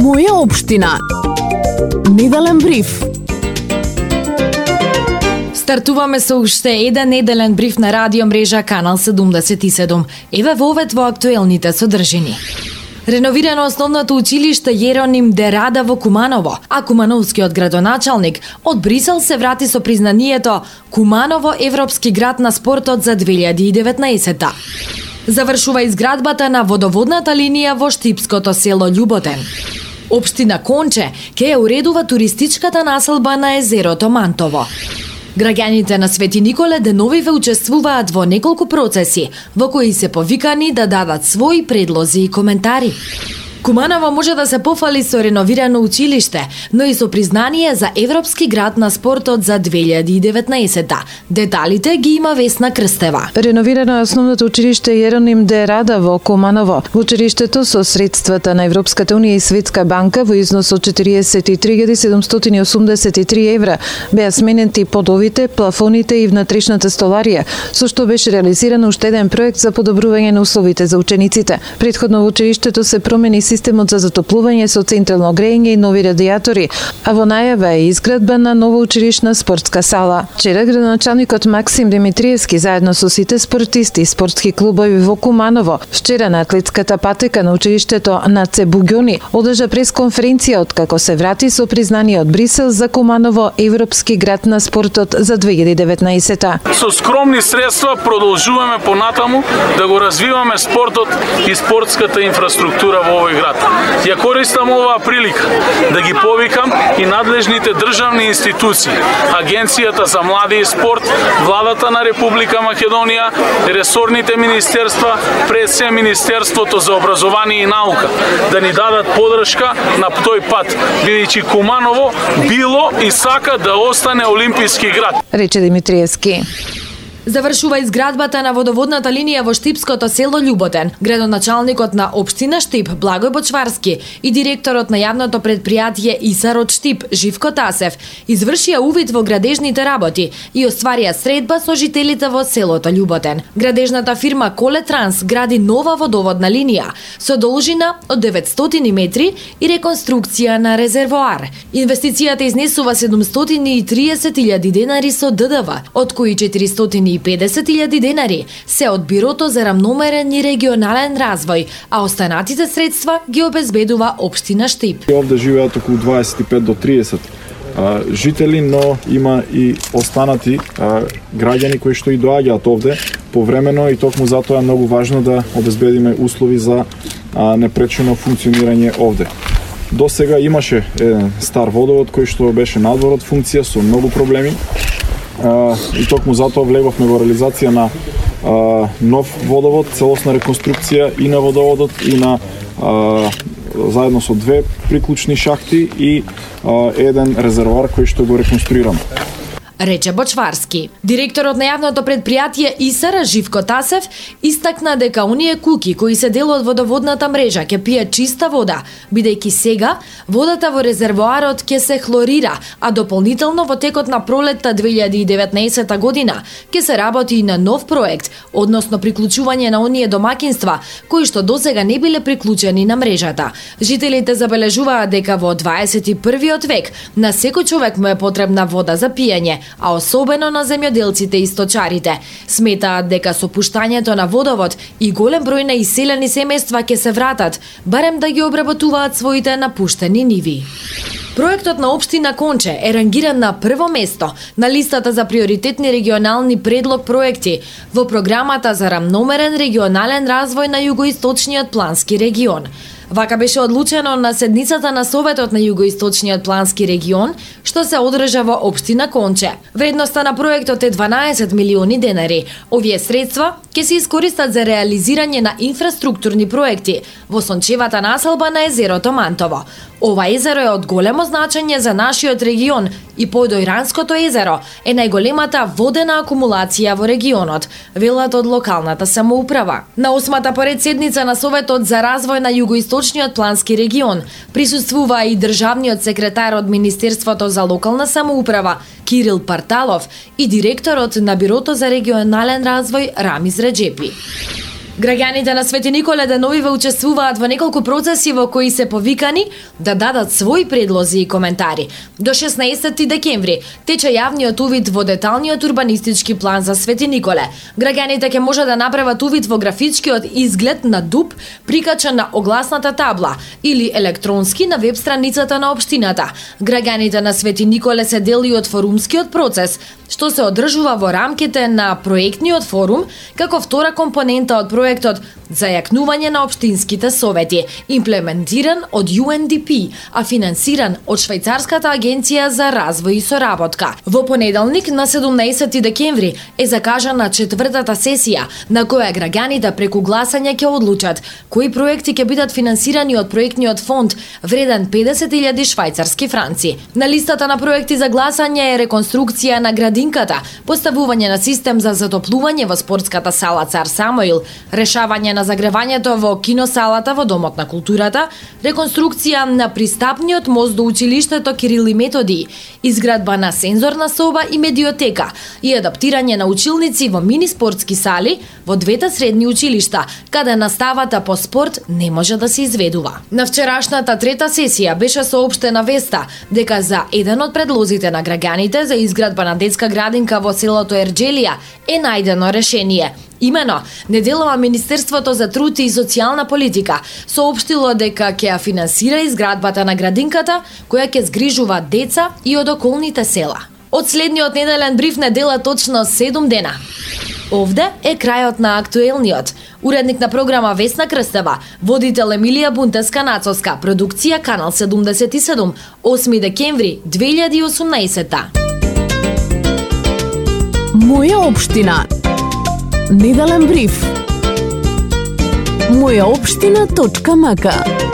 Моја општина. Неделен бриф. Стартуваме со уште еден неделен бриф на радио мрежа Канал 77. Еве вовет во актуелните содржини. Реновирано основното училиште Јероним де Рада во Куманово, а кумановскиот градоначалник од Брисел се врати со признанието Куманово европски град на спортот за 2019-та. Завршува изградбата на водоводната линија во штипското село Љуботен. Општина Конче ќе ја уредува туристичката населба на езерото Мантово. Граѓаните на Свети Николе деновиве учествуваат во неколку процеси, во кои се повикани да дадат своји предлози и коментари. Куманово може да се пофали со реновирано училиште, но и со признание за европски град на спортот за 2019-та. Деталите ги има Весна Крстева. Реновирано е основното училиште Јероним де Рада во Куманово. Во училиштето со средствата на Европската унија и Светска банка во износ од 43.783 евра беа сменети подовите, плафоните и внатрешната столарија, со што беше реализиран уште еден проект за подобрување на условите за учениците. Претходно во училиштето се промени системот за затоплување со централно грејење и нови радиатори, а во најава е изградба на нова училишна спортска сала. Вчера градоначалникот Максим Димитриевски заедно со сите спортисти и спортски клубови во Куманово вчера на атлетската патека на училиштето на Цебуѓони одржа пресконференција откако се врати со признание од Брисел за Куманово европски град на спортот за 2019-та. Со скромни средства продолжуваме понатаму да го развиваме спортот и спортската инфраструктура во овој град. Ја користам оваа прилика да ги повикам и надлежните државни институции, Агенцијата за млади и спорт, Владата на Република Македонија, ресорните министерства, пред се Министерството за образование и наука, да ни дадат подршка на тој пат, бидејќи Куманово било и сака да остане олимписки град, рече Димитриевски. Завршува изградбата на водоводната линија во штипското село Љуботен. Градоначалникот на општина Штип Благој Бочварски и директорот на јавното предпријатие ИСАР од Штип Живко Тасев извршија увид во градежните работи и остварија средба со жителите во селото Љуботен. Градежната фирма Колетранс гради нова водоводна линија со должина од 900 метри и реконструкција на резервоар. Инвестицијата изнесува 730.000 денари со ДДВ, од кои 450.000 денари се од Бирото за рамномерен и регионален развој, а останатите средства ги обезбедува општина Штип. Овде живеат околу 25 до 30 жители, но има и останати граѓани кои што и доаѓаат овде повремено и токму затоа е многу важно да обезбедиме услови за непречено функционирање овде. До сега имаше еден стар водовод кој што беше надвор од функција со многу проблеми. И токму затоа влеговме во реализација на нов водовод, целосна реконструкција и на водоводот и на заедно со две приклучни шахти и еден резервоар кој што го реконструираме, рече Бочварски. Директорот на јавното предпријатие ИСАР Живко Тасев истакна дека оние куќи кои се дел од водоводната мрежа ќе пијат чиста вода, бидејќи сега водата во резервоарот ќе се хлорира, а дополнително во текот на пролетта 2019 година ќе се работи и на нов проект, односно приклучување на оние домакинства кои што досега не биле приклучени на мрежата. Жителите забележуваат дека во 21 век на секој човек му е потребна вода за пиење, а особено на земјоделците и сточарите. Сметаат дека со пуштањето на водовод и голем број на иселени семејства ќе се вратат, барем да ги обработуваат своите напуштени ниви. Проектот на општина Конче е рангиран на прво место на листата за приоритетни регионални предлог проекти во програмата за рамномерен регионален развој на југоисточниот плански регион. Вака беше одлучено на седницата на Советот на Југоисточниот плански регион, што се одржа во општина Конче. Вредноста на проектот е 12 милиони денари. Овие средства ќе се искористат за реализирање на инфраструктурни проекти во сончевата населба на езерото Мантово. Ова езеро е од големо значење за нашиот регион и Појдојранското езеро е најголемата водена акумулација во регионот, велат од локалната самоуправа. На 8-та поред седница на Советот за развој на Југоисточниот плански регион присуствува и државниот секретар од Министерството за локална самоуправа Кирил Парталов и директорот на Бирото за регионален развој Рамиз Реджепи. Граѓаните на Свети Николе деновиве учествуваат во неколку процеси во кои се повикани да дадат своји предлози и коментари. До 16 декември тече јавниот увид во деталниот урбанистички план за Свети Николе. Граѓаните ќе може да направат увид во графичкиот изглед на дуб прикачен на огласната табла или електронски на веб страницата на општината. Граѓаните на Свети Николе се дел и од форумскиот процес, што се одржува во рамките на проектниот форум како втора компонента од проектот за јакнување на општинските совети, имплементиран од UNDP, а финансиран од Швајцарската агенција за развој и соработка. Во понеделник на 17 декември е закажана четвртата сесија на која граѓаните преку гласање ќе одлучат кои проекти ќе бидат финансирани од проектниот фонд вреден 50.000 швајцарски франци. На листата на проекти за гласање е реконструкција на градинката, поставување на систем за затоплување во спортската сала Цар Самуил, решавање на загревањето во киносалата во Домот на културата, реконструкција на пристапниот мост до училиштето Кирил и Методи, изградба на сензорна соба и медиотека и адаптирање на училници во мини спортски сали во двете средни училишта, каде наставата по спорт не може да се изведува. На вчерашната трета сесија беше соопштена веста дека за еден од предлозите на граѓаните за изградба на детска градинка во селото Ерџелија е најдено решение. Имено, неделова Министерството за труд и социјална политика соопштило дека ќе ја финансира изградбата на градинката која ќе згрижува деца и од околните села. Од следниот неделен бриф не дела точно 7 дена. Овде е крајот на актуелниот. Уредник на програма Весна Крстева, водител Емилија Бунтеска-Нацовска, продукција Канал 77, 8 декември 2018. Моја општина. Неделен бриф. Мојаопштина.мк